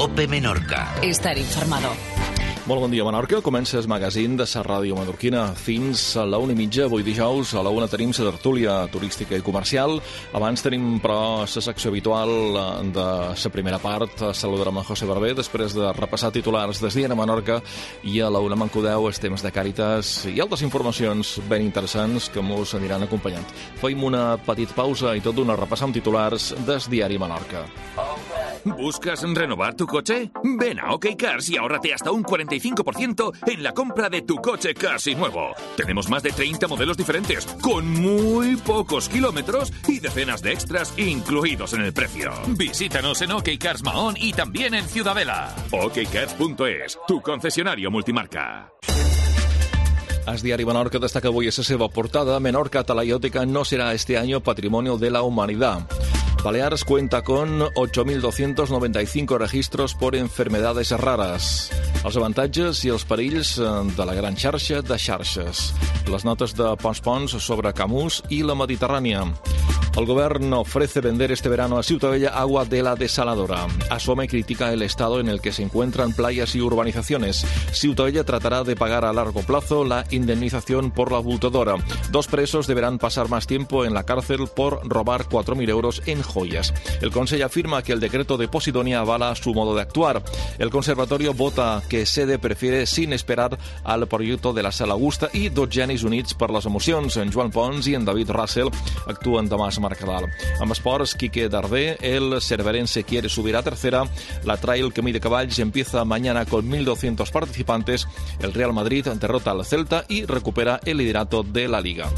COPE Menorca. Estar informado. Molt bon dia, Menorca. Comença el magazín de la ràdio menorquina fins a la 1:30. Avui dijous a la 1 tenim la tertúlia turística i comercial. Abans tenim, però, la secció habitual de la primera part. Saludarem a José Barber després de repassar titulars des dia a Menorca, i a la 1 m'encodeu els temes de Càritas i altres informacions ben interessants que mos aniran acompanyant. Fem una petita pausa i tot d'una repassar amb titulars des diari Menorca. ¿Buscas renovar tu coche? Ven a OK Cars y ahórrate hasta un 45% en la compra de tu coche casi nuevo. Tenemos más de 30 modelos diferentes, con muy pocos kilómetros y decenas de extras incluidos en el precio. Visítanos en OK Cars Mahón y también en Ciudadela. OKCars.es, tu concesionario multimarca. El diari Menorca destaca avui a la seva portada: Menorca Talaiótica no será este año Patrimonio de la Humanidad. Baleares cuenta con 8.295 registros por enfermedades raras. Els avantatges i els perills de la gran xarxa de xarxes. Les notes de Pons sobre Camus i la Mediterrània. El gobierno ofrece vender este verano a Ciutadella agua de la desaladora. Asome critica el estado en el que se encuentran playas y urbanizaciones. Ciutadella tratará de pagar a largo plazo la indemnización por la abultadora. 2 presos deberán pasar más tiempo en la cárcel por robar 4.000 euros en joyas. El Consell afirma que el decreto de Posidonia avala su modo de actuar. El Conservatorio vota que Sede prefiere sin esperar al proyecto de la Sala Augusta, i 2 genis units per les emocions. En Joan Pons i en David Russell actuen demà a Mercadal. Amb esports, Quique Darder, el cerverense quiere subir a tercera. La Trail Camí de Caballs empieza mañana con 1.200 participantes. El Real Madrid derrota al Celta i recupera el liderato de la Liga.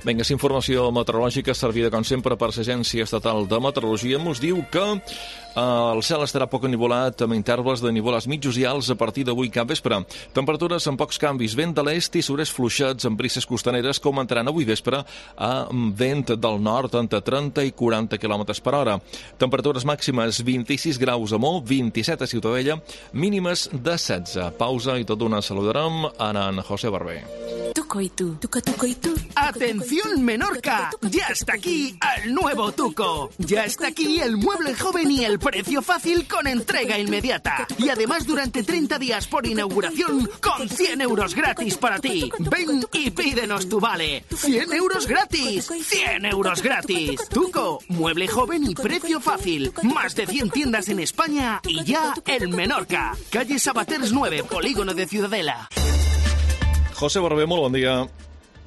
Vinga, és informació meteorològica servida, com sempre, per l'Agència Estatal de Meteorologia. Ens diu que el cel estarà poc ennuvolat, amb intervals de nívols mitjos i alts a partir d'avui cap vespre. Temperatures amb pocs canvis, vent de l'est i surers fluixats amb brises costaneres que augmentaran avui vespre a vent del nord entre 30 i 40 km per hora. Temperatures màximes 26 graus a Mó, 27 a Ciutadella, mínimes de 16. Pausa i tot d'una saludarem en José Barber. Tuco y tú. Tuco y tú. ¡Atención, Menorca! ¡Ya está aquí el nuevo Tuco! ¡Ya está aquí el mueble joven y el precio fácil con entrega inmediata! Y además durante 30 días por inauguración con 100 euros gratis para ti. Ven y pídenos tu vale. ¡100 euros gratis! ¡100 euros gratis! Tuco, mueble joven y precio fácil. Más de 100 tiendas en España y ya en Menorca. Calle Sabaters 9, Polígono de Ciudadela. José Barber, molt bon dia.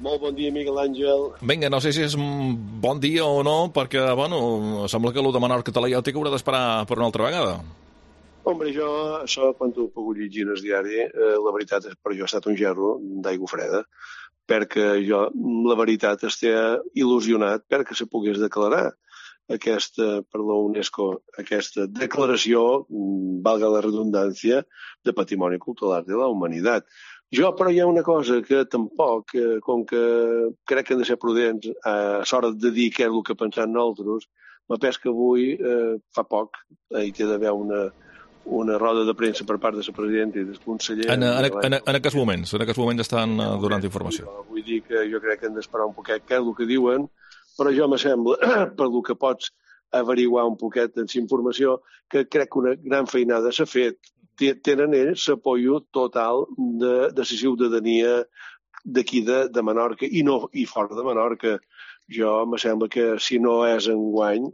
Molt bon dia, Miguel Àngel. Vinga, no sé si és un bon dia o no, perquè, bueno, sembla que el de Menorca Talaiòtica haurà d'esperar per una altra vegada. Hombre, jo, això, quan ho he pogut llegir en el diari, la veritat és per jo ha estat un gerro d'aigua freda, perquè jo, la veritat, estic il·lusionat perquè se pogués declarar aquesta, per la UNESCO, aquesta declaració, valga la redundància, de Patrimoni Cultural de la Humanitat. Jo, però, hi ha una cosa que tampoc, com que crec que hem de ser prudents a l'hora de dir què és el que pensem nosaltres, m'apès que avui, fa poc, hi té d'haver una roda de premsa per part de la presidenta i del conseller. En aquests moments estan donant informació. Vull dir que jo crec que hem d'esperar un poquet què és el que diuen, però jo me sembla, per el que pots averiguar un poquet en la informació, que crec que una gran feinada s'ha fet. Tenen ells l'apoio total de la ciutadania d'aquí de Menorca i fora de Menorca. Jo me sembla que si no és enguany,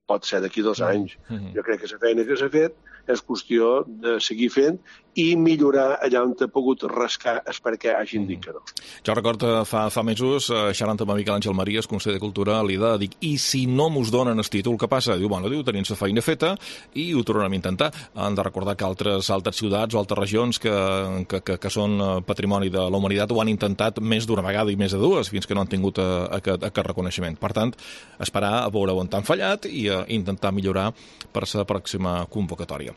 pot ser d'aquí 2 anys. Jo crec que la feina que s'ha fet és qüestió de seguir fent i millorar allà on ha pogut rascar és perquè hagin dit que no. Jo recordo fa mesos, xerrant amb Miquel Àngel Maria, el conseller de Cultura, li de dir, i si no mos donen el títol, què passa? Diu, tenim la feina feta i ho tornarem a intentar. Han de recordar que altres ciutats o altres regions que són patrimoni de la humanitat ho han intentat més d'una vegada i més de 2, fins que no han tingut aquest reconeixement. Per tant, esperar a veure on han fallat i intentar millorar per la pròxima convocatòria.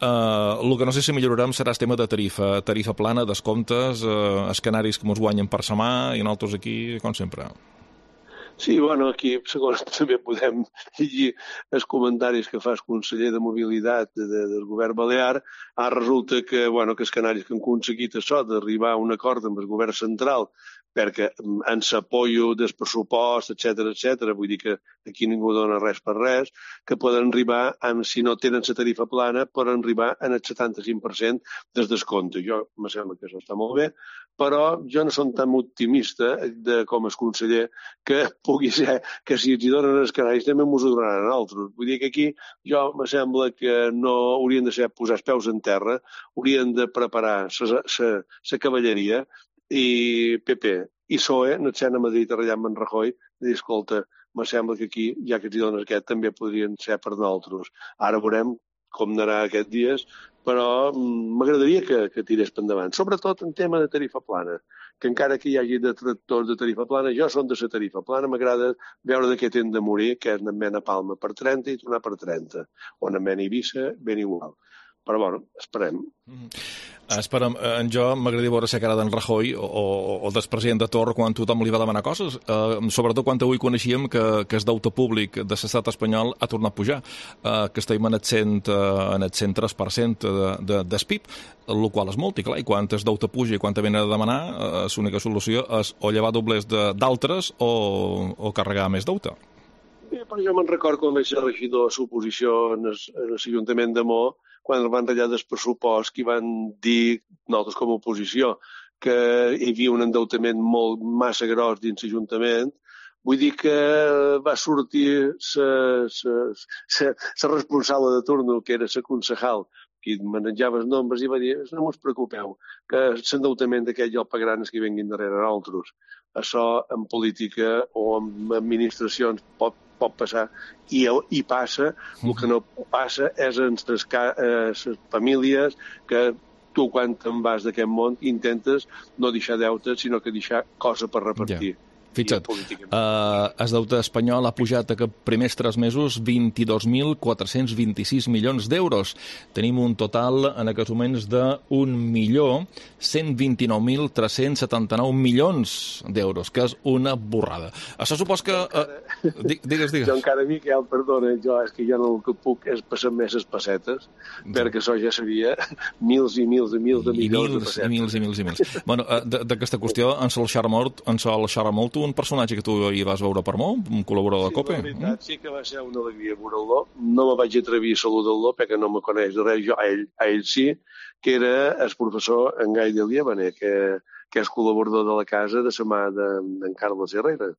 El que no sé si millorarem serà el tema de tarifa plana, descomptes, els canaris que ens guanyen per setmana i nosaltres aquí, com sempre. Sí, bueno, aquí segons també podem llegir els comentaris que fa el conseller de Mobilitat del govern balear. Ara resulta que, bueno, que els canaris que han aconseguit això d'arribar a un acord amb el govern central perquè en s'apoyo del pressupost, etc., vull dir que aquí ningú dona res per res, que poden arribar, si no tenen la tarifa plana, poden arribar en el 75% del descompte. Jo me sembla que això està molt bé, però jo no som tan optimista com el conseller que pugui ser que si els hi donen els canaris també ens ho donaran a altres. Vull dir que aquí jo me sembla que no haurien de ser posar els peus en terra, haurien de preparar la cavalleria i PP i PSOE, anant a Madrid a ratllar amb en Rajoy, i dir, escolta, me sembla que aquí, ja que t'hi dones aquest, també podrien ser per nosaltres. Ara veurem com anarà aquests dies, però m'agradaria que tirés per endavant. Sobretot en tema de tarifa plana, que encara que hi hagi detractors de tarifa plana, jo som de la tarifa plana, m'agrada veure de què tenen de morir, que és anar a Palma per 30 i tornar per 30, o anar a Eivissa, ben igual. Però, bueno, esperem. Esperem. Jo m'agradaria veure la cara d'en Rajoy o del president de Torra quan tothom li va demanar coses, sobretot quan avui coneixíem que el deute públic de l'estat espanyol ha tornat a pujar, que estem en el 103% del PIB, el qual és molt, i clar, i quan el deute puja i quan te venen a demanar, l'única solució és o llevar doblers d'altres o carregar més deute. Però jo me'n recordo quan vaig ser regidor a l'oposició en l'Ajuntament de Mo, quan van ratllar del pressupost, que van dir, nosaltres com a oposició, que hi havia un endeutament massa gros dins l'Ajuntament. Vull dir que va sortir la responsable de turno, que era la concejal, que manejava els nombres, i va dir, no us preocupeu, que l'endeutament d'aquest ja el pagaran els que vinguin darrere nosaltres. Això en política o en administracions pot passar i passa. El que no passa és en les famílies que tu quan te'n vas d'aquest món intentes no deixar deute sinó que deixar cosa per repartir. Fixa't, el deute espanyol ha pujat aquests primers 3 mesos 22.426 milions d'euros. Tenim un total en aquests moments de 1.129.379 milions d'euros, que és una borrada. Això supos que... Digues. Jo encara, Miquel, perdona, és que jo no el que puc és passar més les pessetes, perquè això ja seria mils i mils i mils de milions de pessetes. I mils. Bueno, d'aquesta qüestió en sol xerra molt un personatge que tu hi vas veure per molt, un col·laborador de COPE. Sí, la veritat, sí que va ser una alegria veure-lo. No me vaig atrevir a saludar-lo perquè no me coneix de res. Jo, a ell sí, que era el professor en Gai de Liebane, que és col·laborador de la casa de la mà d'en Carles Herrera.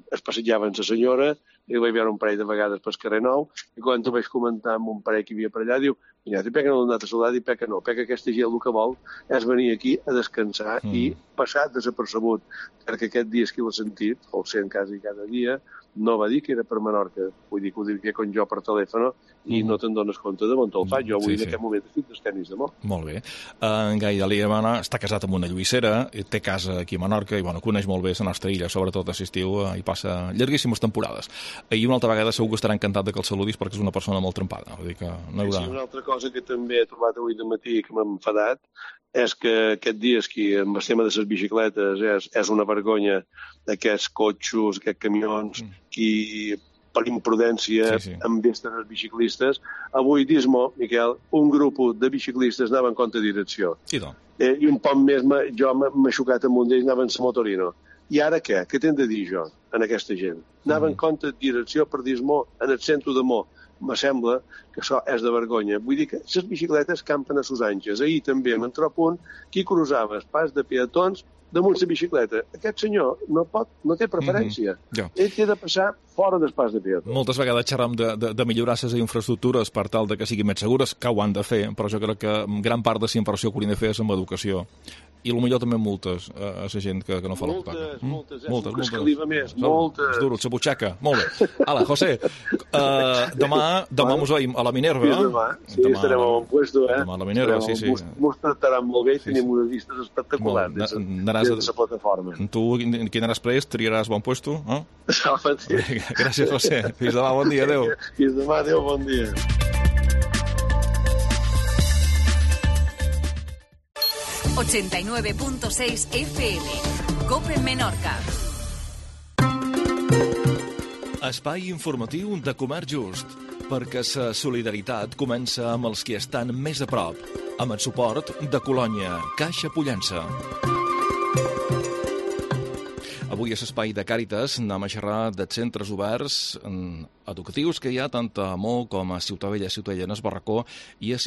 Es passejaven la senyora, i el vaig veure un parell de vegades pel carrer Nou, i quan ho vaig comentar amb un parell que hi havia per allà, diu, mira, per què no l'han anat a saludar? I per què no? Perquè aquesta gent el que vol és venir aquí a descansar i passar desapercebut, perquè aquest dia que l'ha sentit, o el sent quasi cada dia, no va dir que era per Menorca, vull dir que ho diria com jo per telèfon, i no te'n dones compte de on te'l fa. Jo avui en aquest moment estic dels tenis de Mo. Molt bé. En Gai de Liebane està casat amb una lluïssera, té casa aquí a Menorca i coneix molt bé la nostra illa, sobretot a l'estiu, hi passa llarguíssimes temporades. I una altra vegada segur que estarà encantat que el saludis perquè és una persona molt trempada. Vull dir que no hi haurà... Sí, una altra cosa que també he trobat avui de matí que m'ha enfadat és que aquest dia amb el tema de les bicicletes és una vergonya d'aquests cotxos, aquests camions, que per imprudència envesten els biciclistes. Avui, dis-mo, Miquel, un grup de biciclistes anava en contra direcció. I un poc més jo m'he xocat amb un d'ells, anava en la Motorino. I ara què? Què t'hem de dir jo en aquesta gent? Anava en contra direcció per dis-mo en el centre de Mo. Me sembla que això és de vergonya. Vull dir que les bicicletes campen a sus anges. Ahir també m'en trobo un qui cruzava el pas de peatons damunt la bicicleta. Aquest senyor no té preferència. Ell té de passar fora del pas de peatons. Moltes vegades xerram de millorar les infraestructures per tal de que siguin més segures, que ho han de fer, però jo crec que gran part de la inversió que haurien de fer és amb educació. I potser també multes a la gent que no fa la paga. Moltes. Moltes. És duro, la butxaca. Molt bé. Ala, José, demà mos veiem a la Minerva. Sí, estarem a bon puesto, Demà a la Minerva, sí. Mos tractaran molt bé i tenim unes vistes espectaculars des de la plataforma. Tu, qui anaràs prest, triaràs bon puesto? Sí. Gràcies, José. Fins demà, bon dia, adéu. Fins demà, adéu, bon dia. ...89.6 FM. COPE Menorca. Espai informatiu de Comerç Just, perquè la solidaritat comença amb els que estan més a prop, amb el suport de Colònia, Caixa Pollença. Avui a l'espai de Càritas anem a xerrar de centres oberts educatius que hi ha tant a Amó com a Ciutadella, Ciutadella Barracó i a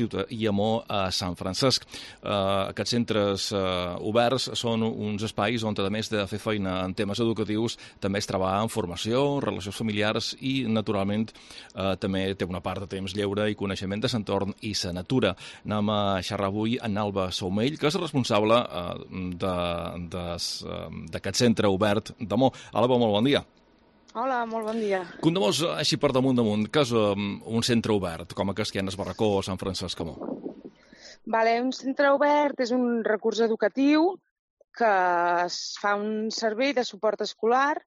Amó a Sant Francesc. Aquests centres oberts són uns espais on, a més de fer feina en temes educatius, també es treballa en formació, relacions familiars i, naturalment, també té una part de temps lleure i coneixement de l'entorn i la natura. Anem a xerrar avui amb Alba Saumell, que és responsable d'aquest centre obert d'Amó. Alba, molt bon dia. Hola, molt bon dia. Contem-nos així per damunt, què és un centre obert, com aquest que hi ha a Barracó o Sant Francesc Amó? Un centre obert és un recurs educatiu que es fa un servei de suport escolar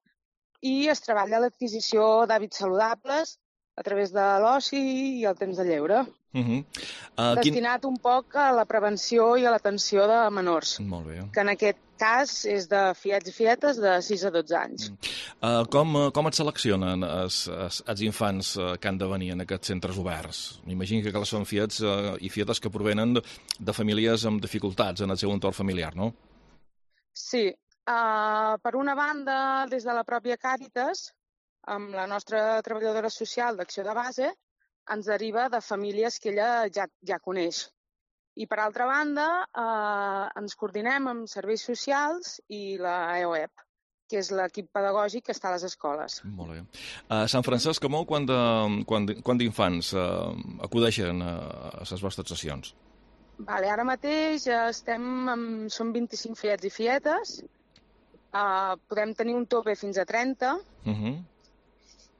i es treballa l'adquisició d'hàbits saludables a través de l'oci i el temps de lleure. Destinat un poc a la prevenció i a l'atenció de menors. Molt bé. Que en aquest cas és de fiets i fietes de 6 a 12 anys. Com et seleccionen els infants que han de venir en aquests centres oberts? M'imagino que són fiets i fietes que provenen de famílies amb dificultats en el seu entorn familiar, no? Sí. Per una banda, des de la pròpia Càritas, amb la nostra treballadora social d'Acció de Base, ens deriva de famílies que ella ja coneix. I, per altra banda, ens coordinem amb serveis socials i la EOEP, que és l'equip pedagògic que està a les escoles. Molt bé. A Sant Francesc Amó, quant d'infants acudeixen a les vostres sessions? Ara mateix som 25 fiets i fietes, podem tenir un tope fins a 30,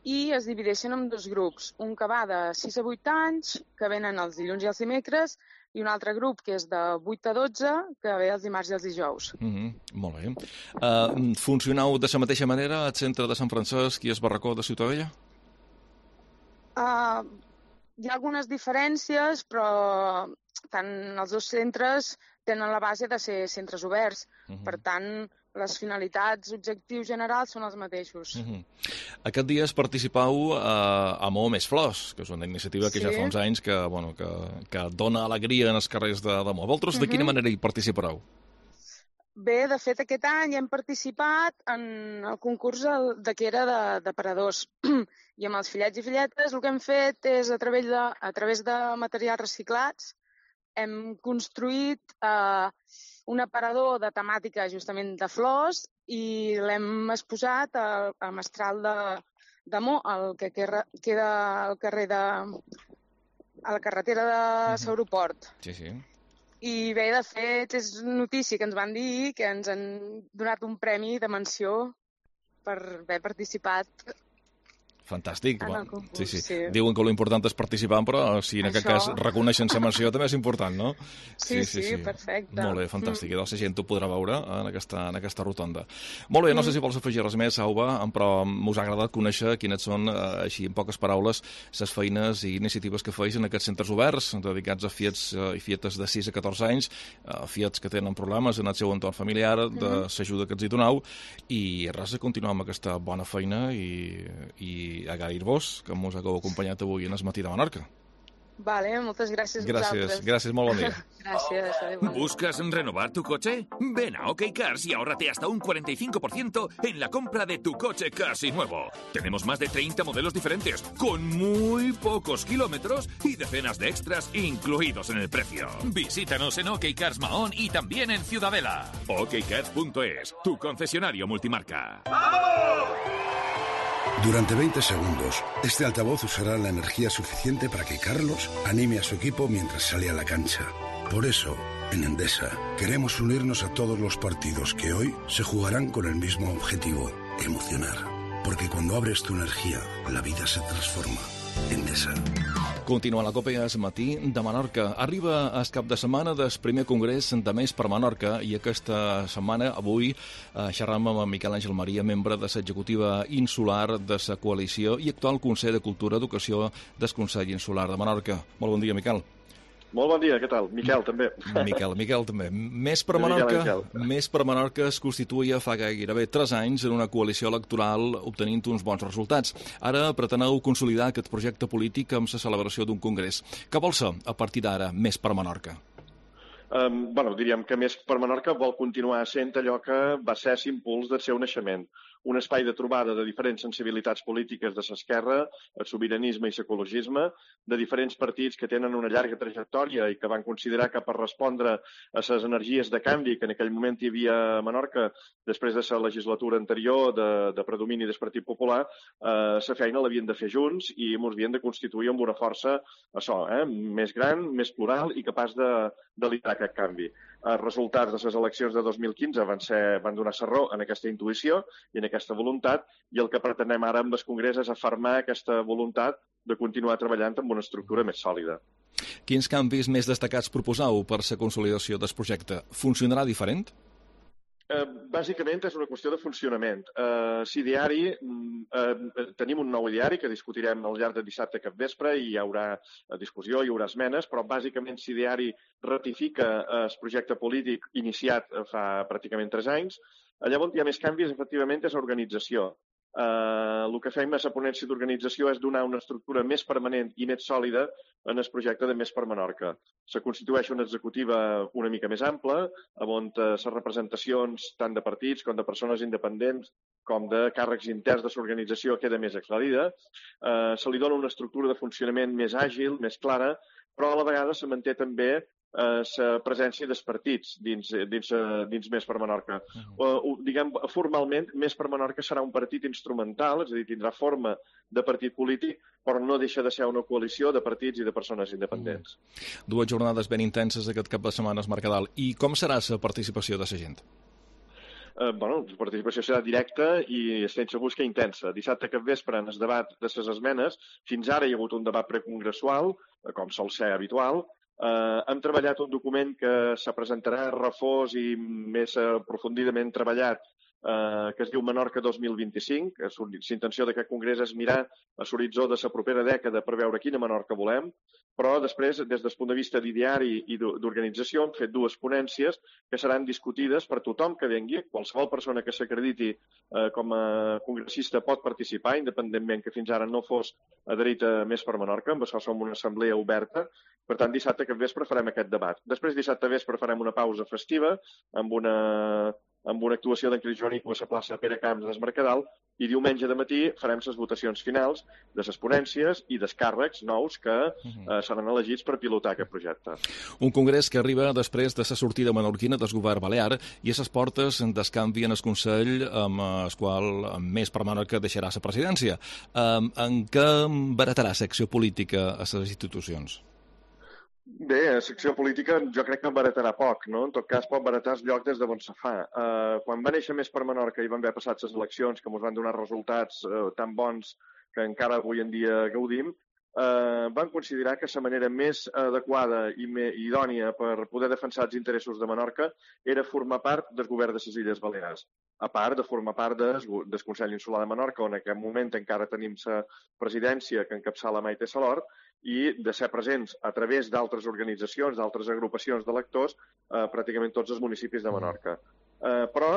i es divideixen en 2 grups. Un que va de 6 a 8 anys, que venen els dilluns i els dimecres, i un altre grup que és de 8 a 12, que ve els dimarts i els dijous. Molt bé. Funcioneu de la mateixa manera al centre de Sant Francesc i al Barracó de Ciutadella? Hi ha algunes diferències, però tant els 2 centres tenen la base de ser centres oberts. Per tant, les finalitats, objectius generals són els mateixos. Aquest dia participau a Amó Més Flors, que és una iniciativa que ja fa uns anys que dona alegria en els carrers d'Amó. Vosaltres de quina manera hi participareu? Bé, de fet, aquest any hem participat en el concurs que era de paradors. I amb els fillets i filletes el que hem fet és, a través de materials reciclats, hem construït un aparador de temàtica justament de flors i l'hem exposat a Mestral d'Amó, que queda al carrer a la carretera de l'aeroport. Sí. I bé, de fet, és notícia que ens van dir que ens han donat un premi de menció per haver participat. Fantàstic. Sí. Diuen que l'important és participar, però si en aquest cas reconeixen la menció també és important, no? Sí, perfecte. Molt bé, fantàstic. I doncs la gent ho podrà veure en aquesta rotonda. Molt bé, no sé si vols afegir res més, Alba, però m'us ha agradat conèixer quines són, així en poques paraules, les feines i iniciatives que feis en aquests centres oberts, dedicats a fiets i fietes de 6 a 14 anys, fiets que tenen problemes en el seu entorn familiar, de l'ajuda que els hi doneu, i res, de continuar amb aquesta bona feina i agrair-vos que ens hagueu acompanyat avui en el matí de Menorca. Vale, moltes gràcies a vosaltres. Gràcies, molt bon dia. Gracias. ¿Buscas renovar tu coche? Ven a OK Cars y ahórrate hasta un 45% en la compra de tu coche casi nuevo. Tenemos más de 30 modelos diferentes, con muy pocos kilómetros y decenas de extras incluidos en el precio. Visítanos en OK Cars Mahón y también en Ciudadela. OKCars.es, tu concesionario multimarca. ¡Vamos! Durante 20 segundos, este altavoz usará la energía suficiente para que Carlos anime a su equipo mientras sale a la cancha. Por eso, en Endesa, queremos unirnos a todos los partidos que hoy se jugarán con el mismo objetivo, emocionar. Porque cuando abres tu energía, la vida se transforma. Endesa. Continua la Copa al matí de Menorca. Arriba el cap de setmana del primer congrés de Més per Menorca i aquesta setmana, avui, xerram amb Miquel Àngel Maria, membre de l'executiva insular de la coalició i actual Consell de Cultura i Educació del Consell Insular de Menorca. Molt bon dia, Miquel. Molt bon dia, què tal? Miquel, també. Miquel, també. Més per Menorca es constituïa fa gairebé 3 anys en una coalició electoral obtenint uns bons resultats. Ara preteneu consolidar aquest projecte polític amb la celebració d'un congrés. Què vol ser, a partir d'ara, Més per Menorca? Diríem que Més per Menorca vol continuar sent allò que va ser l'impuls del seu naixement. Un espai de trobada de diferents sensibilitats polítiques de l'esquerra, el sobiranisme i l'ecologisme, de diferents partits que tenen una llarga trajectòria i que van considerar que per respondre a les energies de canvi que en aquell moment hi havia a Menorca, després de la legislatura anterior de predomini del Partit Popular, la feina l'havien de fer junts i ens havien de constituir amb una força més gran, més plural i capaç de liderar aquest canvi. Els resultats de les eleccions de 2015 van donar raó en aquesta intuïció i en aquesta voluntat, i el que pretenem ara amb el Congrés és afermar aquesta voluntat de continuar treballant amb una estructura més sòlida. Quins canvis més destacats proposeu per la consolidació del projecte? Funcionarà diferent? Bàsicament és una qüestió de funcionament. Tenim un nou ideari que discutirem al llarg de dissabte cap vespre i hi haurà discussió, hi haurà esmenes, però bàsicament l'ideari ratifica el projecte polític iniciat fa pràcticament 3 anys. Allà on hi ha més canvis, efectivament, és organització. El que fem a la ponència d'organització és donar una estructura més permanent i més sòlida en el projecte de Més per Menorca. Se constitueix una executiva una mica més ampla, on les representacions tant de partits com de persones independents com de càrrecs interns de l'organització queda més aclarida. Se li dona una estructura de funcionament més àgil, més clara, però a la vegada se manté també la presència dels partits dins Més per Menorca. Diguem, formalment, Més per Menorca serà un partit instrumental, és a dir, tindrà forma de partit polític, però no deixa de ser una coalició de partits i de persones independents. 2 jornades ben intenses aquest cap de setmana a Mercadal. I com serà la participació de la gent? La participació serà directa i estem segurs que intensa. Dissabte cap vespre, en el debat de les esmenes, fins ara hi ha hagut un debat precongressual, com sol ser habitual. Hem treballat un document que se presentarà refós i més aprofundidament treballat, que es diu Menorca 2025. L'intenció d'aquest congrés és mirar a l'horitzó de la propera dècada per veure quina Menorca volem, però després, des del punt de vista d'ideari i d'organització, hem fet 2 ponències que seran discutides per tothom que vengui. Qualsevol persona que s'acrediti com a congressista pot participar, independentment que fins ara no fos adherit a Més per Menorca. Amb això som una assemblea oberta. Per tant, dissabte cap vespre farem aquest debat. Després, dissabte vespre, farem una pausa festiva amb una actuació d'en Cris Joanico a la plaça Pere Camps del Mercadal, i diumenge de matí farem les votacions finals de les ponències i dels càrrecs nous que seran elegits per pilotar aquest projecte. Un congrés que arriba després de la sortida menorquina del govern balear i a les portes del canvi en el Consell, amb el qual Més per Menorca deixarà la presidència. En què baratarà l'acció política a les institucions? Bé, la secció política jo crec que baratarà poc, no? En tot cas pot baratar el lloc des d'on se fa. Quan va néixer Més per Menorca i van haver passat les eleccions, que ens van donar resultats tan bons que encara avui en dia gaudim, van considerar que la manera més adequada i idònia per poder defensar els interessos de Menorca era formar part del govern de les Illes Balears, a part de formar part del Consell Insular de Menorca, on en aquest moment encara tenim la presidència que encapçala Maite Salort, i de ser presents a través d'altres organitzacions, d'altres agrupacions d'electors, pràcticament tots els municipis de Menorca. Però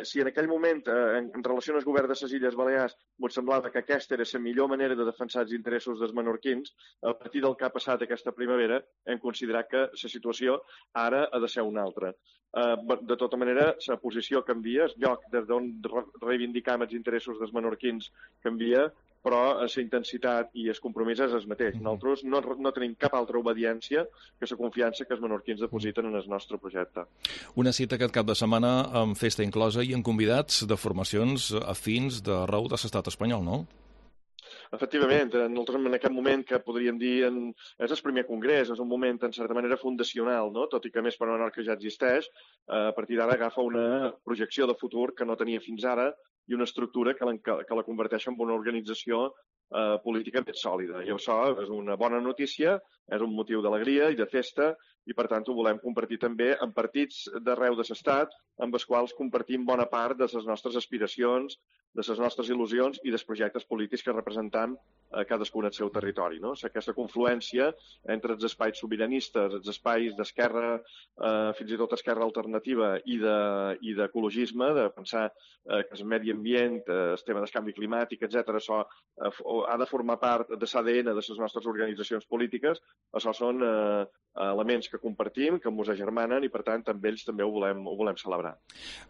si en aquell moment, en relació al govern de les Illes Balears, ens semblava que aquesta era la millor manera de defensar els interessos dels menorquins, a partir del que ha passat aquesta primavera hem considerat que la situació ara ha de ser una altra. De tota manera, la posició canvia, el lloc des d'on reivindicam els interessos dels menorquins canvia, però la intensitat i el compromís és el mateix. Nosaltres no tenim cap altra obediència que la confiança que els menorquins depositen en el nostre projecte. Una cita aquest cap de setmana amb festa inclosa i amb convidats de formacions afins d'arreu de l'estat espanyol, no? Efectivament, nosaltres en aquest moment que podríem dir és el primer congrés, és un moment en certa manera fundacional, no? Tot i que Més per Menorca ja existeix, a partir d'ara agafa una projecció de futur que no tenia fins ara i una estructura que la converteix en una organització política més sòlida. I això és una bona notícia, és un motiu d'alegria i de festa, i per tant ho volem compartir també amb partits d'arreu de l'estat, amb els quals compartim bona part de les nostres aspiracions, de les nostres il·lusions i dels projectes polítics que representam cadascun al seu territori, no? Aquesta confluència entre els espais sobiranistes, els espais d'esquerra, fins i tot esquerra alternativa i d'ecologisme, de pensar que el medi ambient, el tema del canvi climàtic, etc., això ha de formar part de l'ADN de les nostres organitzacions polítiques, Això són elements que compartim, que ens agermanen i, per tant, amb ells també ho volem celebrar.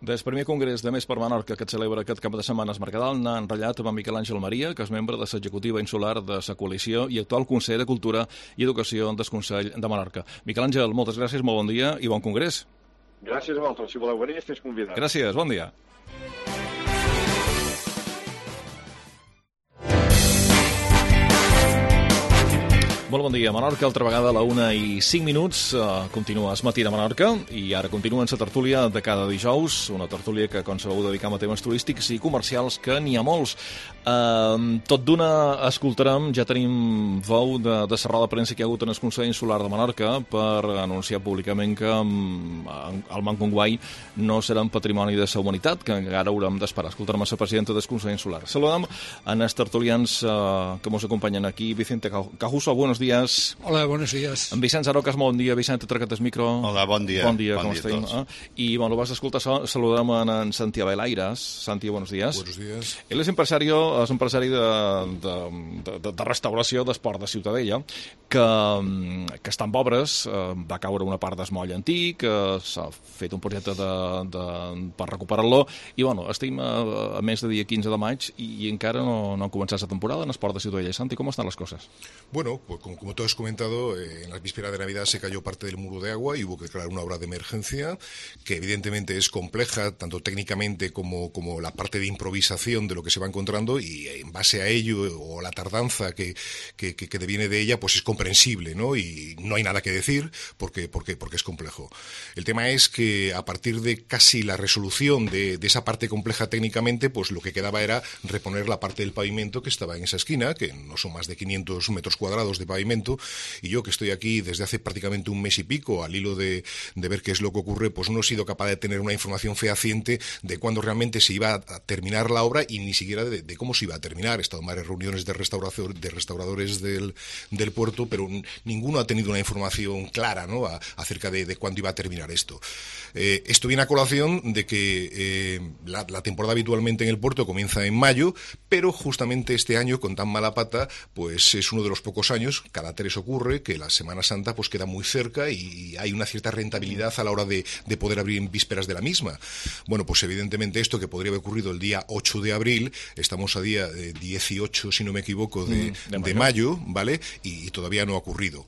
Des primer congrés de Més per Menorca que et celebra aquest cap de setmana es Mercadal n'ha enratllat amb Miquel Àngel Maria, que és membre de l'executiva insular de la coalició i actual conseller de Cultura i Educació del Consell de Menorca. Miquel Àngel, moltes gràcies, molt bon dia i bon congrés. Gràcies a vosaltres. Si voleu venir, esteu convidats. Gràcies, bon dia. Molt bon dia, Menorca, altra vegada a la 1:05. Continua es matí de Menorca i ara continua la tertúlia de cada dijous, una tertúlia que, com sabeu, dedicam a temes turístics i comercials, que n'hi ha molts. Tot d'una escoltarem, ja tenim veu de la roda de premsa que hi ha hagut en el Consell Insular de Menorca per anunciar públicament que el Manconguai no serà un patrimoni de la humanitat, que encara haurem d'esperar. Escoltarem a la presidenta del Consell Insular. Saludem a els tertulians que ens acompanyen aquí. Vicente Cajuso, buenos días. Hola, buenos días. En Vicent Zarocas, bon dia. Vicente, treca't el micro. Hola, bon dia. Bon dia, com estem? I, bueno, vas a escoltar, saludem a en Santi Abel-Aires. Santi, buenos días. Buenos días. Él és empresari de restauració d'esport de Ciutadella, que està en obres, va caure una part d'esmoll antic, s'ha fet un projecte per recuperar-lo, i, bueno, estem a més de dia 15 de maig i encara no ha començat la temporada en esport de Ciutadella. Santi, ¿cómo están las cosas? Bueno, pues como tú has comentado, en la víspera de Navidad se cayó parte del muro de agua y hubo que crear una obra de emergencia que evidentemente es compleja, tanto técnicamente como la parte de improvisación de lo que se va encontrando, y en base a ello, o la tardanza que deviene de ella, pues es comprensible, ¿no? Y no hay nada que decir porque es complejo. El tema es que a partir de casi la resolución de esa parte compleja técnicamente, pues lo que quedaba era reponer la parte del pavimento que estaba en esa esquina, que no son más de 500 metros cuadrados de pavimento, y yo, que estoy aquí desde hace prácticamente un mes y pico al hilo de ver qué es lo que ocurre, pues no he sido capaz de tener una información fehaciente de cuándo realmente se iba a terminar la obra y ni siquiera de cómo se iba a terminar. He estado en varias reuniones de restauradores del puerto, pero ninguno ha tenido una información clara, ¿no?, acerca de cuándo iba a terminar esto. Esto viene a colación de que la temporada habitualmente en el puerto comienza en mayo, pero justamente este año, con tan mala pata, pues es uno de los pocos años, cada 3 ocurre, que la Semana Santa pues queda muy cerca y hay una cierta rentabilidad a la hora de poder abrir en vísperas de la misma. Bueno, pues evidentemente esto, que podría haber ocurrido el día 8 de abril, estamos a día 18, si no me equivoco, de mayo, ¿vale? Y todavía no ha ocurrido.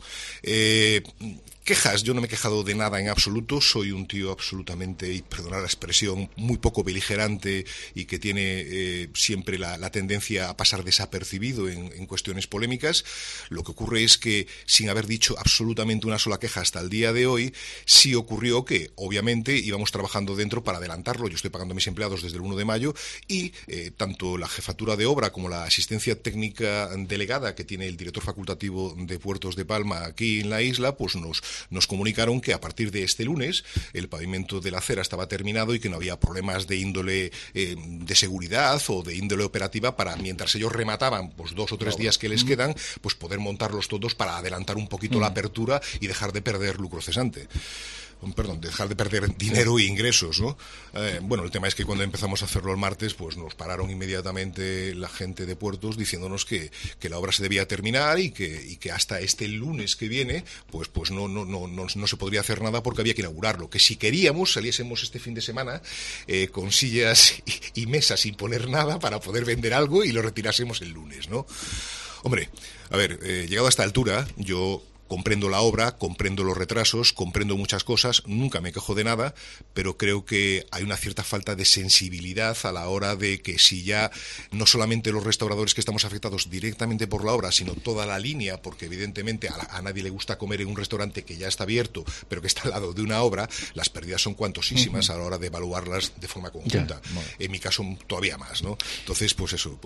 Quejas, yo no me he quejado de nada en absoluto, soy un tío absolutamente, y perdonad la expresión, muy poco beligerante y que tiene siempre la tendencia a pasar desapercibido en cuestiones polémicas. Lo que ocurre es que, sin haber dicho absolutamente una sola queja hasta el día de hoy, sí ocurrió que, obviamente, íbamos trabajando dentro para adelantarlo. Yo estoy pagando a mis empleados desde el 1 de mayo y tanto la jefatura de obra como la asistencia técnica delegada que tiene el director facultativo de Puertos de Palma aquí en la isla, pues nos comunicaron que a partir de este lunes el pavimento de la acera estaba terminado y que no había problemas de índole de seguridad o de índole operativa para, mientras ellos remataban pues 2 o 3 días que les quedan, pues poder montarlos todos para adelantar un poquito la apertura y dejar de perder lucro cesante. Perdón, dejar de perder dinero e ingresos, ¿no? Bueno, el tema es que cuando empezamos a hacerlo el martes, pues nos pararon inmediatamente la gente de puertos diciéndonos que la obra se debía terminar y que hasta este lunes que viene, pues no se podría hacer nada porque había que inaugurarlo. Que si queríamos, saliésemos este fin de semana con sillas y mesas sin poner nada para poder vender algo y lo retirásemos el lunes, ¿no? Hombre, a ver, llegado a esta altura, yo comprendo la obra, comprendo los retrasos, comprendo muchas cosas, nunca me quejo de nada, pero creo que hay una cierta falta de sensibilidad a la hora de que si ya no solamente los restauradores que estamos afectados directamente por la obra, sino toda la línea, porque evidentemente a nadie le gusta comer en un restaurante que ya está abierto, pero que está al lado de una obra, las pérdidas son cuantosísimas a la hora de evaluarlas de forma conjunta. En mi caso todavía más, ¿no? Entonces, pues eso,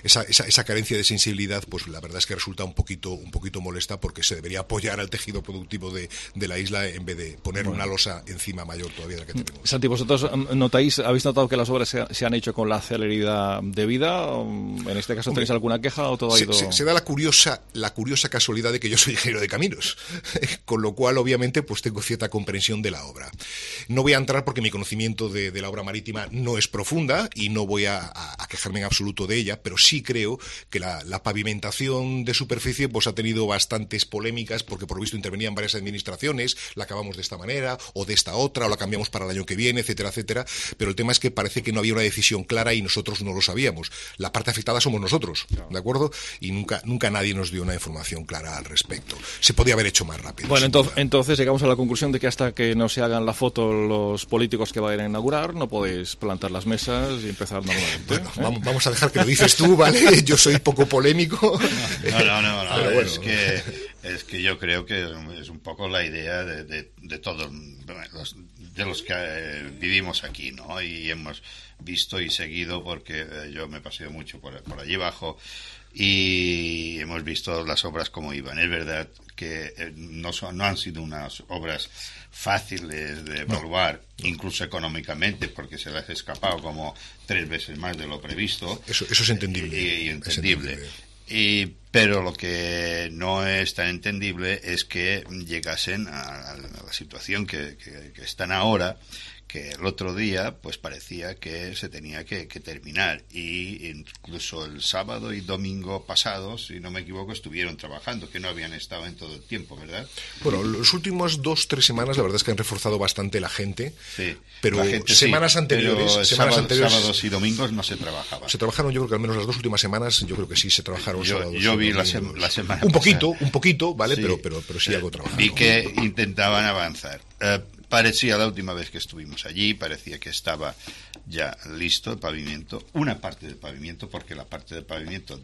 esa carencia de sensibilidad, pues la verdad es que resulta un poquito molesta, porque se debería apoyar al tejido productivo de la isla en vez de poner una losa encima mayor todavía de la que tenemos. Santi, ¿vosotros habéis notado que las obras se han hecho con la celeridad debida? ¿En este caso tenéis alguna queja o todo ha ido...? Se da la curiosa casualidad de que yo soy ingeniero de caminos, con lo cual obviamente pues tengo cierta comprensión de la obra. No voy a entrar porque mi conocimiento de la obra marítima no es profunda y no voy a quejarme en absoluto de ella, pero sí creo que la pavimentación de superficie pues ha tenido bastantes polémicas porque por lo visto intervenían varias administraciones, la acabamos de esta manera o de esta otra o la cambiamos para el año que viene, etcétera, etcétera, pero el tema es que parece que no había una decisión clara y nosotros no lo sabíamos. La parte afectada somos nosotros, ¿de acuerdo? Y nunca nadie nos dio una información clara al respecto. Se podía haber hecho más rápido. Bueno, entonces llegamos a la conclusión de que hasta que no se hagan la foto los políticos que vayan a inaugurar, no podéis plantar las mesas y empezar normalmente. Bueno, vamos a dejar que lo dices tú, ¿vale? Yo soy poco polémico. No, pero bueno. Es que yo creo que es un poco la idea de todos los que vivimos aquí, ¿no? Y hemos visto y seguido, porque yo me he paseado mucho por allí abajo y hemos visto las obras como iban. Es verdad que no han sido unas obras fáciles de evaluar, incluso económicamente, porque se les ha escapado como 3 veces más de lo previsto. Eso es entendible. Y entendible. Pero lo que no es tan entendible es que llegasen a la situación que están ahora, que el otro día pues parecía que se tenía que terminar, y incluso el sábado y domingo pasados, si no me equivoco, estuvieron trabajando, que no habían estado en todo el tiempo, ¿verdad? Bueno, los últimos 2-3 semanas la verdad es que han reforzado bastante la gente, sí, pero la gente semanas sí, anteriores, pero sábados y domingos no se trabajaba. Se trabajaron, yo creo que al menos las 2 últimas semanas, yo creo que sí se trabajaron sábados. Yo vi la semana un poquito, ¿vale? Sí, pero sí algo trabajado. Vi que intentaban avanzar. Parecía, la última vez que estuvimos allí, parecía que estaba ya listo el pavimento, una parte del pavimento, porque la parte del pavimento,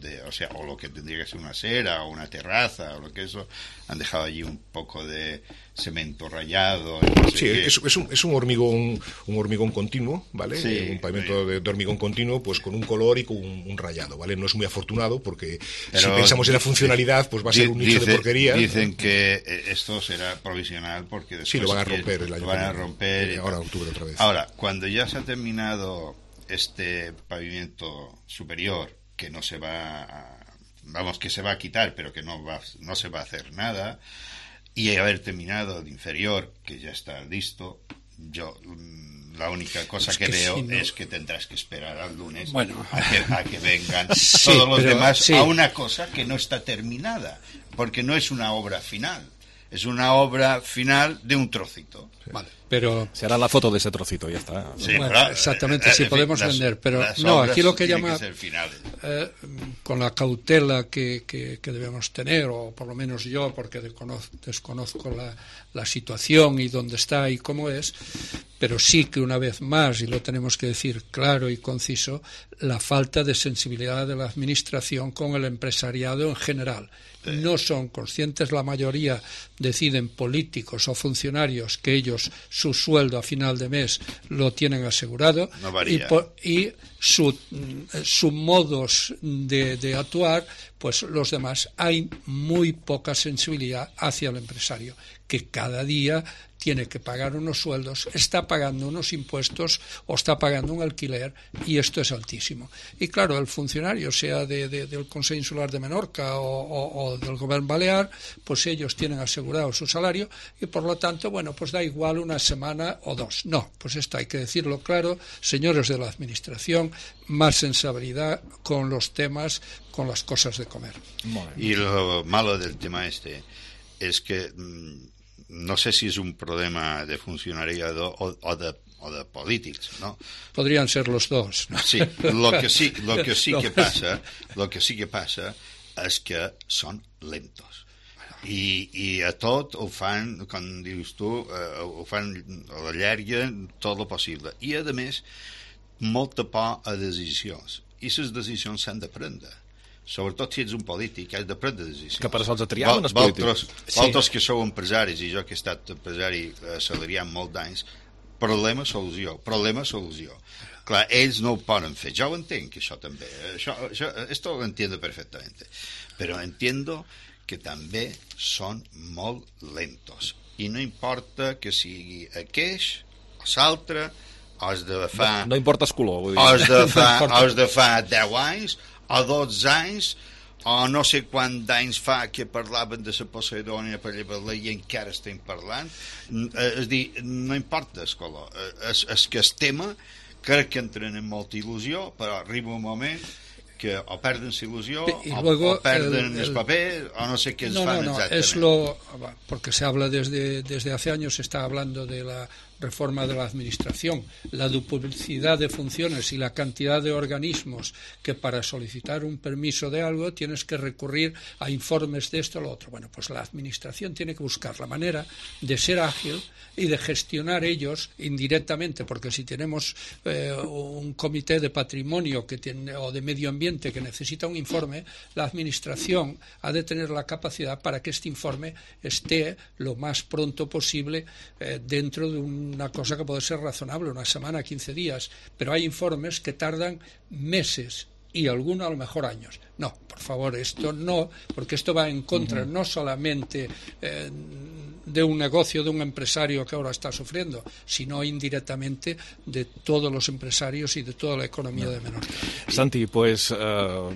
o lo que tendría que ser una acera o una terraza, o lo que eso, han dejado allí un poco de cemento rayado. No sé sí, es un hormigón continuo, ¿vale? Sí, un pavimento de hormigón continuo, pues con un color y con un rayado, ¿vale? No es muy afortunado porque si pensamos en la funcionalidad, pues va a ser un nicho de porquería. Dicen que esto será provisional porque después sí, lo van a romper el año lo van a romper ahora octubre otra vez. Ahora, cuando ya se ha terminado este pavimento superior, que no se va que se va a quitar, pero que no se va a hacer nada, y haber terminado el inferior, que ya está listo, yo la única cosa que veo es que tendrás que esperar al lunes a que vengan todos los demás a una cosa que no está terminada, porque no es una obra final, es una obra final de un trocito. Vale, pero se hará la foto de ese trocito, ya está. Sí, bueno, exactamente, sí podemos vender, pero no, aquí lo que llama con la cautela que debemos tener, o por lo menos yo, porque desconozco la situación y dónde está y cómo es, pero sí que una vez más, y lo tenemos que decir claro y conciso, la falta de sensibilidad de la administración con el empresariado en general. No son conscientes, la mayoría deciden políticos o funcionarios que ellos su sueldo a final de mes lo tienen asegurado, y su modos de actuar, pues los demás, hay muy poca sensibilidad hacia el empresario, que cada día tiene que pagar unos sueldos, está pagando unos impuestos o está pagando un alquiler, y esto es altísimo. Y claro, el funcionario, sea del Consell Insular de Menorca o del Gobierno Balear, pues ellos tienen asegurado su salario y por lo tanto, bueno, pues da igual una semana o 2. No, pues esto hay que decirlo claro, señores de la administración, más sensibilidad con los temas, con las cosas de comer. Y lo malo del tema es que no sé si es un problema de funcionariado o de políticos, ¿no? Podrían ser los dos, ¿no? Sí, lo que sí que passa és que són lentos. I a tot ho fan, com dius tu, ho fan a la llarga tot el possible. I, a més, molta por a decisions. I les decisions s'han de prendre. Sobretot si ets un polític, has de prendre decisions. Que per això els triaven els polítics. Vosaltres que sou empresaris, i jo que he estat empresari assalariat molt d'anys, problema-solució. Clar, ells no ho poden fer. Jo ho entenc, això també. Esto lo entiendo perfectamente. Però entiendo que també són molt lentos. I no importa que sigui aqueix o l'altre, o els de fa... No importa el color, vull dir. O els de fa 10 anys, o 12 anys, o no sé quants anys fa que parlaven de la Poseidònia per llevar-la i encara estem parlant. És dir, no importa el color. És que el tema crec que entren en molta il·lusió, però arriba un moment que o perden la il·lusió o perden el paper o no sé qué fan exactamente. Porque se habla desde hace años, se está hablando de la reforma de la administración, la duplicidad de funciones y la cantidad de organismos que para solicitar un permiso de algo tienes que recurrir a informes de esto o lo otro. Bueno, pues la administración tiene que buscar la manera de ser ágil y de gestionar ellos indirectamente, porque si tenemos un comité de patrimonio o de medio ambiente que necesita un informe, la administración ha de tener la capacidad para que este informe esté lo más pronto posible dentro de una cosa que puede ser razonable, una semana, 15 días, pero hay informes que tardan meses y algunos a lo mejor años. No, por favor, esto no, porque esto va en contra no solamente de un negocio, de un empresario que ahora está sufriendo, sino indirectamente de todos los empresarios y de toda la economía de Menorca. Santi, pues a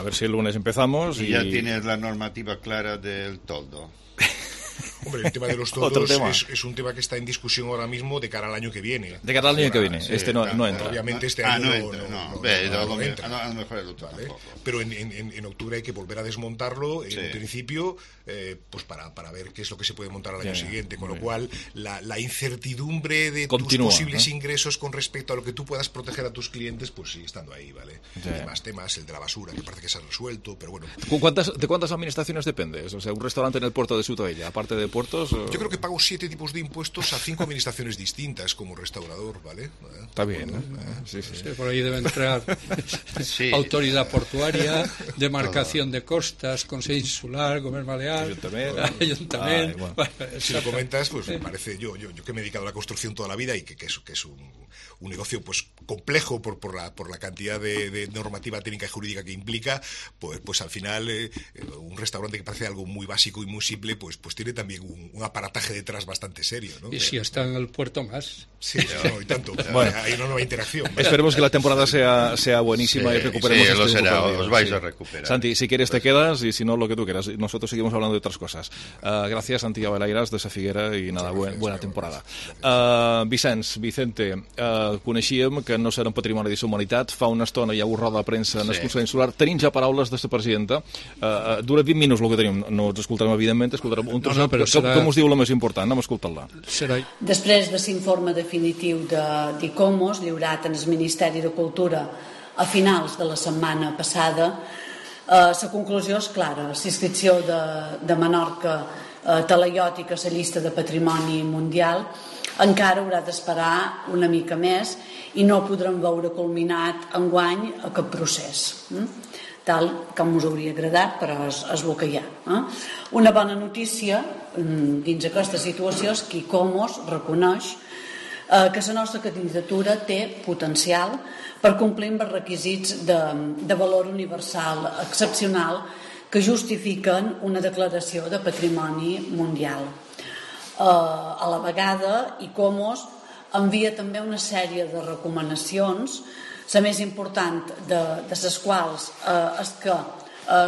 ver si el lunes empezamos. Y ya tienes la normativa clara del toldo. Hombre, el tema de los toldos es un tema que está en discusión ahora mismo de cara al año que viene. De cara al año que viene, sí, no entra. Obviamente este año no entra. ¿Vale? Pero en octubre hay que volver a desmontarlo, en principio, pues para ver qué es lo que se puede montar al año siguiente. Con lo cual, la incertidumbre de tus posibles ingresos con respecto a lo que tú puedas proteger a tus clientes, pues sigue estando ahí, ¿vale? Hay más temas, el de la basura, que parece que se ha resuelto, pero bueno. ¿De cuántas administraciones dependes? O sea, un restaurante en el puerto de Ciutadella, aparte de puertos... Yo creo que pago 7 tipos de impuestos a 5 administraciones distintas como restaurador, ¿vale? Está bien, ¿no? Sí, por ahí debe entrar autoridad portuaria, demarcación de costas, Consejo Insular, Gobierno Balear, Ayuntamiento. Bueno. Si lo comentas, pues me parece, yo que me he dedicado a la construcción toda la vida y que es un negocio pues complejo por la cantidad de normativa técnica y jurídica que implica, pues al final un restaurante que parece algo muy básico y muy simple, pues tiene también un aparataje detrás bastante serio, ¿no? Y si está en el puerto más. Sí, y tanto. Bueno, hay una nueva interacción. Esperemos que la temporada sea buenísima y recuperemos os vais a recuperar. Santi, si quieres te quedas y si no, lo que tú quieras. Nosotros seguimos hablando de otras cosas. Gracias, Santi Abelairas, de Sa Figuera, i nada, buena temporada. Vicente, coneixíem que no serà un patrimoni de la humanitat. Fa una estona hi ha roda de premsa en el Consell Insular. Tenim ja paraules de la presidenta. Dura 20 minuts el que tenim. No ens escoltarem, evidentment, escoltarem un trosset. Com us diu la més important? Anem a escoltar-la. Després de l'informe definitiu d'ICOMOS, lliurat en el Ministeri de Cultura a finals de la setmana passada, la conclusió és clara. La inscripció de Menorca talaiòtica a la llista de patrimoni mundial encara haurà d'esperar una mica més i no podrem veure culminat enguany aquest procés, tal com us hauria agradat, però és el que hi ha. Una bona notícia dins aquesta situació és que ICOMOS reconeix que la nostra candidatura té potencial per complir amb els requisits de valor universal excepcional que justifiquen una declaració de patrimoni mundial. A la vegada, ICOMOS envia també una sèrie de recomanacions, la més important de les quals és que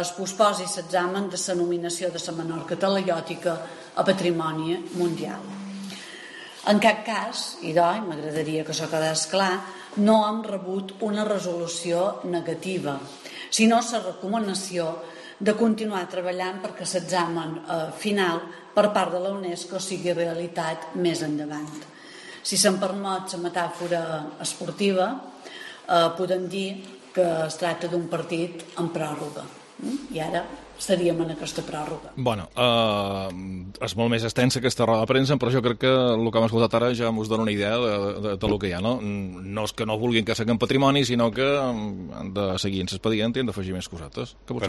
es posposi l'examen de la nominació de la Menorca talaiòtica a patrimoni mundial. En cap cas, i m'agradaria que això quedés clar, no hem rebut una resolució negativa, sinó la recomanació de continuar treballant perquè l'examen final per part de la UNESCO sigui realitat més endavant. Si se'm permet la metàfora esportiva, podem dir que es tracta d'un partit en pròrroga. I ara estaríem en aquesta pròrroga. Bueno, és molt més extensa aquesta roda de premsa, però jo crec que el que hem escoltat ara ja us dona una idea del que hi ha, no? No és que no vulguin que siguem patrimoni, sinó que han de seguir en l'expedient i han d'afegir més cosetes. Però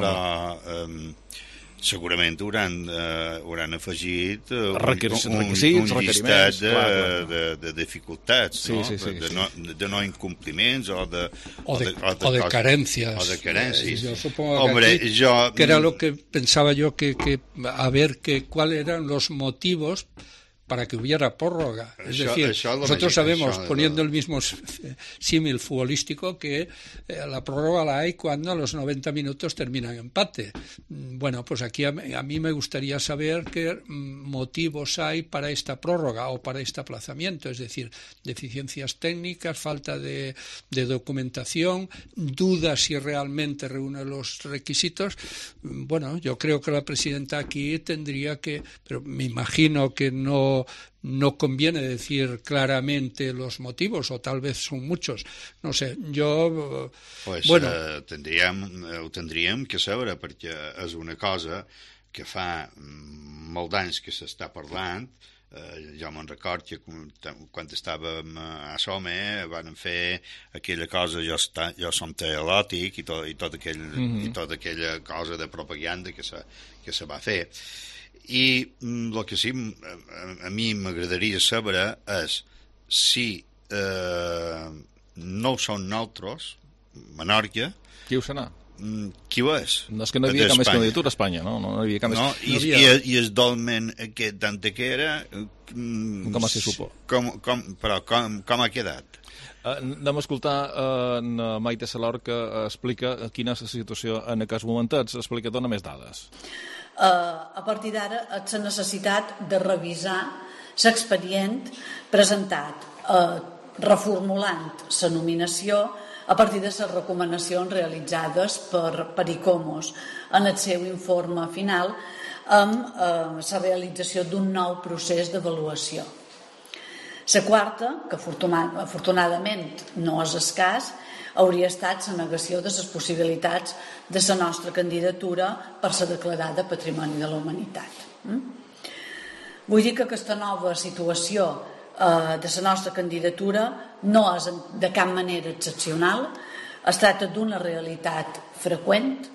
segurament hauran afegit un llistat de dificultats, de no incompliments o de carencias. Yo supongo que era lo que pensaba yo, que a ver cuáles eran los motivos para que hubiera prórroga. Es decir, nosotros sabemos, poniendo el mismo símil futbolístico, que la prórroga la hay cuando a los 90 minutos termina en empate. Bueno, pues aquí a mí me gustaría saber qué motivos hay para esta prórroga o para este aplazamiento, es decir, deficiencias técnicas, falta de documentación, dudas si realmente reúne los requisitos. Bueno, yo creo que la presidenta aquí tendría que, pero me imagino que no conviene decir claramente los motivos, o tal vez son muchos, no sé, jo... Pues bueno. Ho tindríem que saber, perquè és una cosa que fa molt d'anys que s'està parlant. Jo me'n record que quan estàvem a Some van fer aquella cosa, jo som teolòtic, i tota aquella cosa de propaganda que se va fer. I el que sí a mi m'agradaria saber és si no ho són nosaltres, Menorca... Qui ho serà? Qui ho és? No, és que no hi havia cap més candidatura a Espanya, no? No hi havia cap més... I el dolmen aquest d'Antequera... Com va ser supo? Però com ha quedat? Anem a escoltar Maite Salor, que explica quina és la situació en aquests momentats. Explica, dona més dades. A partir d'ara, la necessitat de revisar l'expedient presentat, reformulant la nominació a partir de les recomanacions realitzades per ICOMOS en el seu informe final amb la realització d'un nou procés d'avaluació. La quarta, que afortunadament no és escàs, hauria estat la negació de les possibilitats de la nostra candidatura per ser declarada Patrimoni de la Humanitat. Vull dir que aquesta nova situació de la nostra candidatura no és de cap manera excepcional, es tracta d'una realitat freqüent,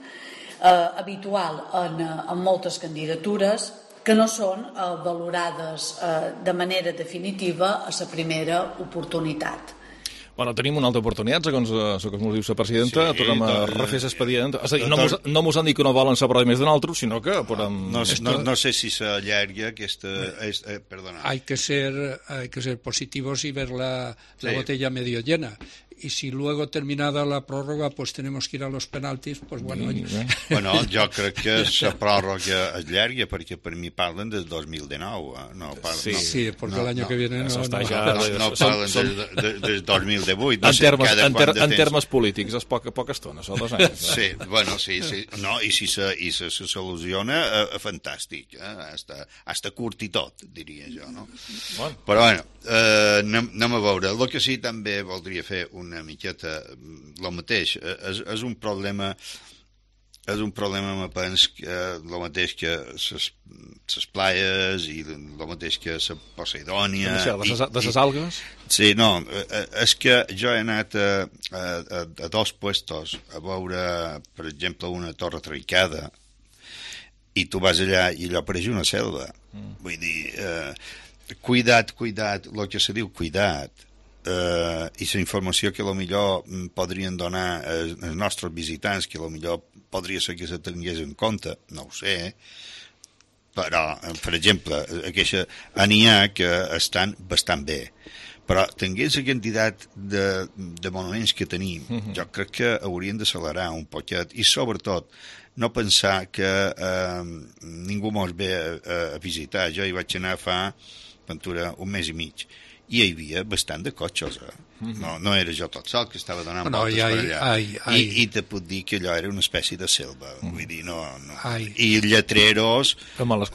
habitual en moltes candidatures, que no són valorades de manera definitiva a la primera oportunitat. Bueno, tenim una altra oportunitat, segons ens diu la presidenta, tornem a refer l'expedient. És a dir, no mos han dit que no volen saber més de nosaltres, sinó que podem... No sé si s'allarga aquesta... Perdona. Hay que ser positivos y ver la botella medio llena. Y si luego terminada la prórroga pues tenemos que ir a los penaltis, pues bueno... Bueno, jo crec que la pròrroga es llarga perquè per mi parlen del 2019. Sí, porque el año que viene no parlen del 2018. En termes polítics és poca estona, són 2 anys. Sí, bueno, sí. No, i si se soluciona, fantàstic. Hasta curt i tot, diria jo, no? Però bueno, anem a veure. El que sí també voldria fer una miqueta el mateix, és un problema me penso que el mateix que les plaies i el mateix que la Poseidònia de les algues? Sí, no, és que jo he anat a 2 puestos a veure, per exemple, una torre trencada, i tu vas allà i allò pareix una selva. Vull dir, cuidat, el que se diu cuidat, i la informació que millor podrien donar els nostres visitants, que millor podria ser que se tingués en compte, no ho sé, però, per exemple, n'hi ha que estan bastant bé, però tenint la quantitat de monuments que tenim, jo crec que haurien d'accelerar un poquet, i sobretot no pensar que ningú mos ve a visitar. Jo hi vaig anar fa un mes i mig, i hi havia bastant de cotxes, no era jo tot sol que estava donant voltes per allà, i te puc dir que allò era una espècie de selva, vull dir, no. I lletreros en males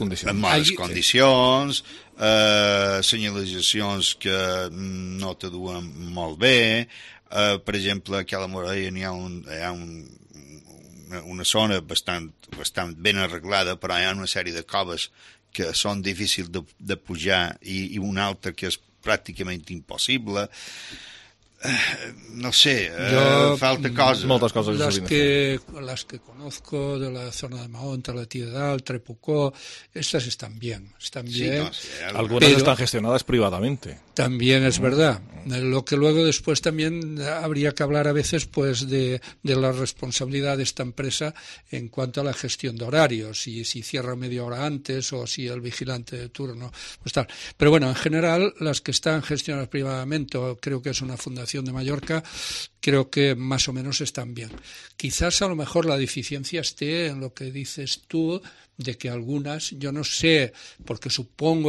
condicions, senyalitzacions que no te duen molt bé, per exemple, aquí a la Morella hi ha una zona bastant ben arreglada, però hi ha una sèrie de coves que són difícils de pujar i una altra que és pràcticament impossible. no sé, falta cosas. Moltes coses. Las que conozco de la zona de Mahón, la Tiedal, Trepucó, estas están bien. Algunas están gestionadas privadamente. También es verdad. Lo que luego después también habría que hablar a veces pues de la responsabilidad de esta empresa en cuanto a la gestión de horarios, si cierra media hora antes o si el vigilante de turno, pues tal. Pero bueno, en general, las que están gestionadas privadamente, creo que es una fundación de Mallorca, creo que más o menos están bien. Quizás a lo mejor la deficiencia esté en lo que dices tú, de que algunas, yo no sé, porque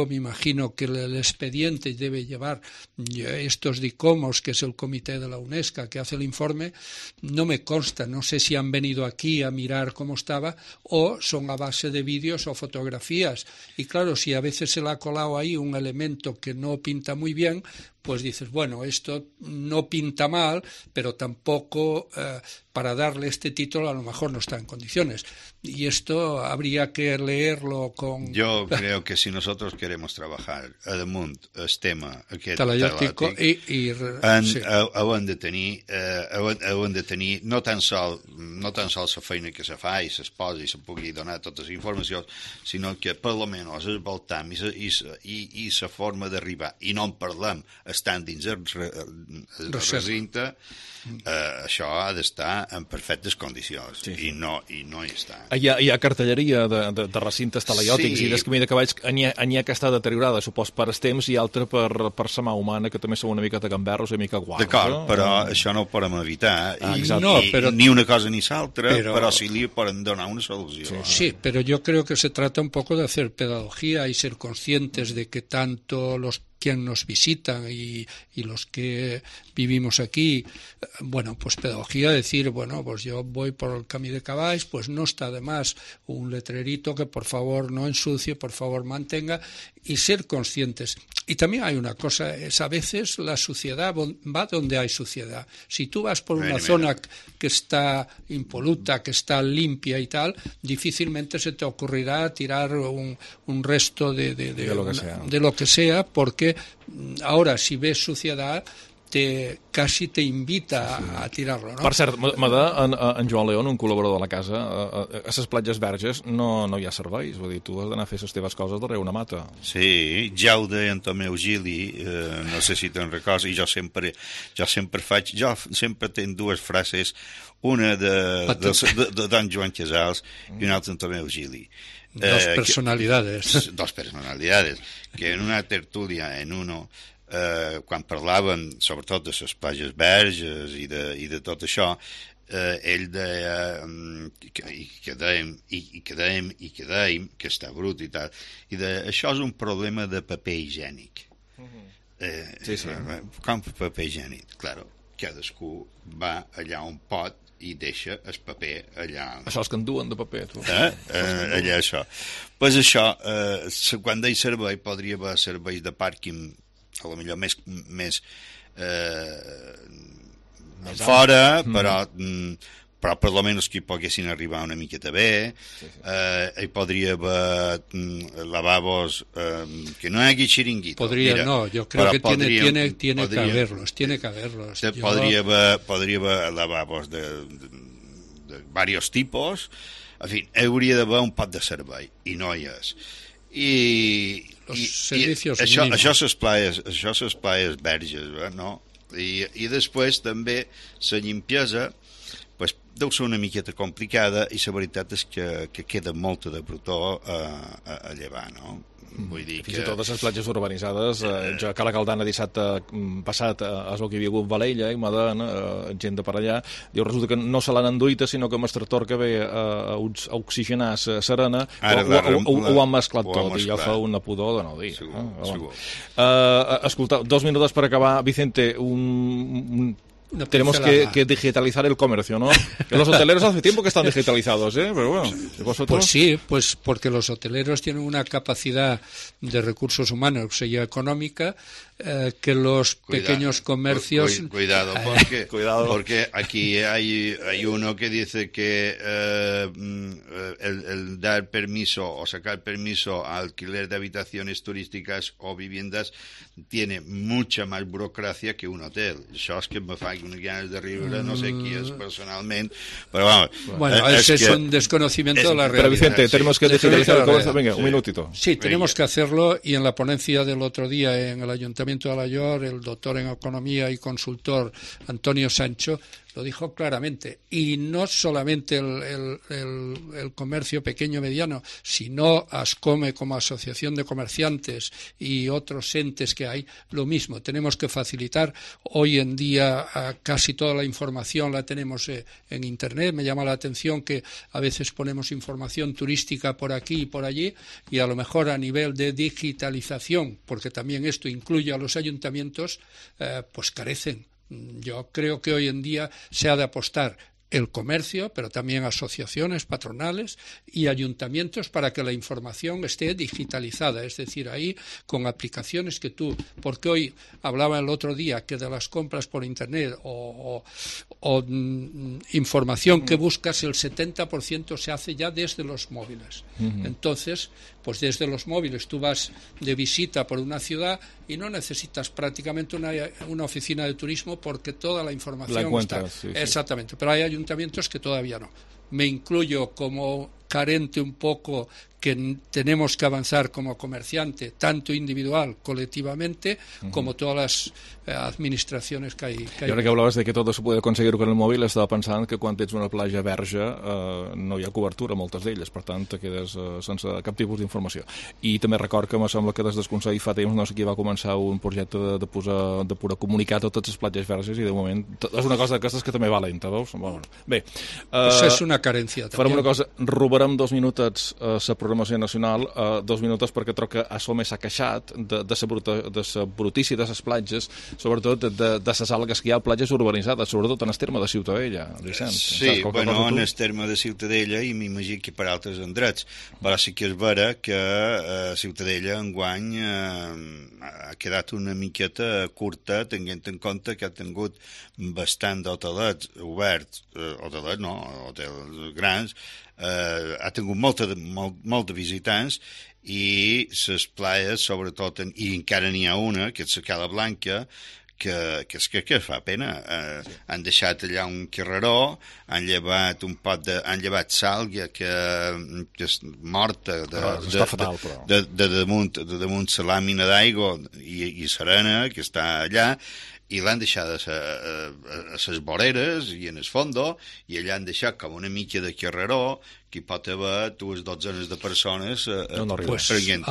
me imagino que el expediente debe llevar estos DICOMOS, que es el comité de la UNESCO que hace el informe, no me consta, no sé si han venido aquí a mirar cómo estaba o son a base de vídeos o fotografías. Y claro, si a veces se le ha colado ahí un elemento que no pinta muy bien, pues dices, bueno, esto no pinta mal, pero tampoco para darle este título a lo mejor no está en condiciones. Y esto habría que leerlo con... Yo creo que si nosotros queremos trabajar a damunt el tema aquest talaiòtic hem de tenir no tan sols la feina que se fa i se posa i se pugui donar totes les informacions, sinó que per almenys el voltam i la forma d'arribar, i no en parlem estant dins el recinte, això ha d'estar en perfectes condicions, i no hi està. Hi ha cartelleria de recintes talaiòtics i de camí de cavalls, n'hi ha que està deteriorada, supos per el temps, i altra per la mà humana, que també són una mica de gamberros i una mica guarros. D'acord, però això no ho podem evitar, ni una cosa ni l'altra, però sí li podem donar una solució. Sí, pero yo creo que se trata un poco de hacer pedagogía y ser conscientes de que tanto los quien nos visitan y los que vivimos aquí, bueno, pues pedagogía, decir, bueno, pues yo voy por el camí de caballos, pues no está de más un letrerito que por favor no ensucie, por favor mantenga, y ser conscientes. Y también hay una cosa, es a veces la suciedad va donde hay suciedad. Si tú vas por una zona que está impoluta, que está limpia y tal, difícilmente se te ocurrirá tirar un resto de lo que sea, porque ahora si ves suciedad casi te invita a tirarlo, no? Per cert, en Joan León, un col·laborador de la casa, a les platges verges no hi ha serveis, vull dir, tu has d'anar a fer les teves coses darrere una mata. Sí, ja ho deia en Tomeu Gili, no sé si te'n recordes, i jo sempre tenc dues frases, una de don Joan Casals i una altra en Tomeu Gili. Dos personalidades, que en una tertúlia, quan parlaven sobretot de les platges verges i de tot això, ell deia que dèiem que està brut i tal, i això és un problema de paper higiènic. Com paper higiènic? Claro, cadascú va allà on pot i deixa el paper allà. Això és que en duen de paper, tu. Allà això. Pues això, quan deia servei, podria haver serveis de pàrquing a lo millor més fora, però per lo menos que hi poguessin arribar una miqueta bé. Hi podria haver lavabos que no hi hagi xiringuito. Yo creo que tiene que haberlos. Podria haver lavabos de varios tipos. En fi, hauria d'haver un pot de servei, i no hi és. Això les plaies verges, no? I després també la limpiesa deu ser una miqueta complicada, i la veritat és que queda molta de brutó a llevar, no? Vull dir fins i tot a les platges urbanitzades, jo a Cala Caldana dissabte passat és el que hi havia hagut Valella i Madena, gent de per allà, diu, resulta que no se l'han enduïta, sinó que amb el tractor que ve a oxigenar l'arena ho han mesclat tot, i ja fa una pudor de no dir. Escolta, 2 minuts per acabar. Vicente, tenemos que digitalizar el comercio, ¿no? Que los hoteleros hace tiempo que están digitalizados, pero bueno, ¿vosotros? Pues sí, pues porque los hoteleros tienen una capacidad de recursos humanos y económica que los pequeños comercios... Cuidado, porque aquí hay uno que dice que el dar permiso o sacar permiso a alquiler de habitaciones turísticas o viviendas tiene mucha más burocracia que un hotel. Això és que me fa unes ganes de riure, no sé qui és personalment, però vamos. Bueno, ese es un desconocimiento de la realidad. Pero Vicente, tenemos que digitalizar el comercio. Venga, un minutito. Sí, tenemos que hacerlo, y en la ponencia del otro día en el Ayuntamiento de Alaior, el doctor en Economía y consultor Antonio Sancho lo dijo claramente, y no solamente el comercio pequeño mediano, sino ASCOME como asociación de comerciantes y otros entes que hay, lo mismo, tenemos que facilitar. Hoy en día casi toda la información la tenemos en Internet. Me llama la atención que a veces ponemos información turística por aquí y por allí, y a lo mejor a nivel de digitalización, porque también esto incluye a los ayuntamientos, pues carecen. Yo creo que hoy en día se ha de apostar el comercio, pero también asociaciones, patronales y ayuntamientos para que la información esté digitalizada, es decir, ahí con aplicaciones que porque hoy hablaba el otro día que de las compras por Internet o información que buscas, el 70% se hace ya desde los móviles. Entonces, pues desde los móviles tú vas de visita por una ciudad y no necesitas prácticamente una oficina de turismo, porque toda la información está. Sí. Exactamente, pero hay ayuntamientos que todavía no. Me incluyo como carente un poco, que tenemos que avanzar como comerciante, tanto individual, colectivamente, como todas las administraciones que hay. Y ahora que hablabas de que todo se puede conseguir con el móvil, estava pensant que quan tens una platja verge no hi ha cobertura a moltes d'elles, per tant te quedes sense cap tipus d'informació. I també record que me sembla que des del Consell fa temps, no sé qui va començar un projecte de poder comunicar totes les platges verges, i de moment és una cosa d'aquestes que també va lenta, veus? Bueno, bé, pues és una carència. Farem una cosa, robarem 2 minutets a la programació nacional, 2 minuts perquè troc que ASOME s'ha queixat de la brutícia de les platges, sobretot de les algues que hi ha a platges urbanitzades, sobretot en el terme de Ciutadella, Vicenç. Sí, bueno, en el terme de Ciutadella, i m'imagino que per altres endrets, però sí que és vera que Ciutadella enguany ha quedat una miqueta curta, tenint en compte que ha tingut bastant d'hotelets oberts, hotels grans, ha tingut molt de visitants, i les playes, sobretot, i encara n'hi ha una, que és la Cala Blanca, que fa pena. Han deixat allà un carreró, han llevat sàlvia que és morta de damunt la làmina d'aigua i serena que està allà, i l'han deixat a les voreres i en el fondo, i allà han deixat com una mica de carreró que hi pot haver 2 dotzenes de persones prenent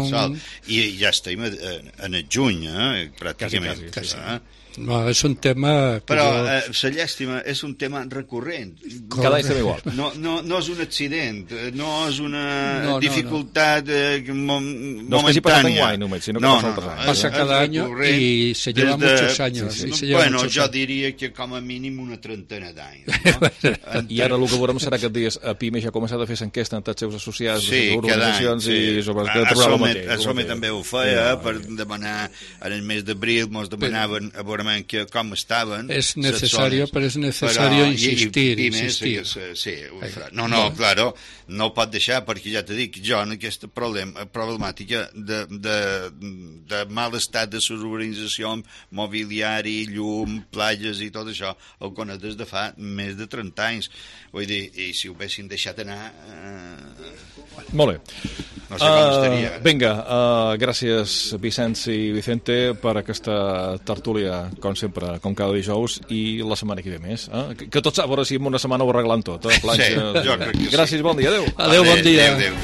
sol. I ja estem en el juny, pràcticament. Quasi. No, és un tema... Però la llàstima és un tema recurrent. Cada any estem igual. No és un accident, no és una dificultat momentània. No és que hagi passat enguany només, sinó que passa altres anys. Passa cada any i se lleva muchos años. Bueno, jo diria que com a mínim una trentena d'anys. I ara el que veurem serà que dies a PIME ja ha començat a fer l'enquesta entre els seus associats, les organitzacions, i sobre el que trobava el mateix. ASOME també ho feia per demanar, en el mes d'abril ens demanaven a veure com estaven. És necessari, però és necessari insistir. Sí, claro, no ho pot deixar, perquè ja t'he dit, jo en aquesta problemàtica de mal estat de les urbanitzacions, mobiliari, llum, platges i tot això, el conec des de fa més de 30 anys. Vull dir, i si ho haguessin deixat anar... Molt bé. No sé com estaria. Vinga, gràcies Vicenç i Vicente per aquesta tertúlia, com sempre, com cada dijous, i la setmana que ve més. Que tot s'ha veure si en una setmana ho arreglant tot. Sí, jo crec que sí. Gràcies, bon dia, adeu. Adeu, bon dia. Adeu.